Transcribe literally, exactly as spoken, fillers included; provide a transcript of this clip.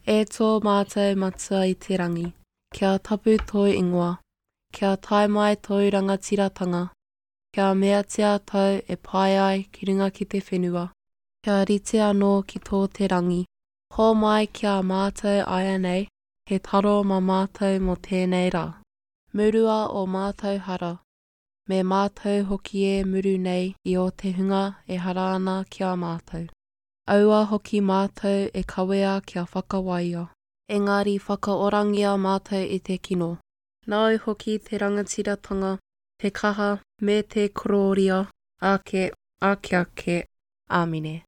E tō mātou Matua i te rangi, kia tapu tō ingoa, kia tae mai tōu rangatiratanga, kia meatia tau e pai ai ki runga ki te whenua, kia rite anō ki tō te rangi. Hōmai ki a mātou āianei, he taro mā mātou mō tēnei rā. Murua ō mātou hara, me mātou hoki e muru nei i ō te hunga e hara ana ki a mātou. Aua hoki mātou e kawea kia whakawaia, engari whakaorangia mātou i te kino. Nāu hoki te rangatiratanga, te kaha, me te korōria, ake, ake ake. Āmine.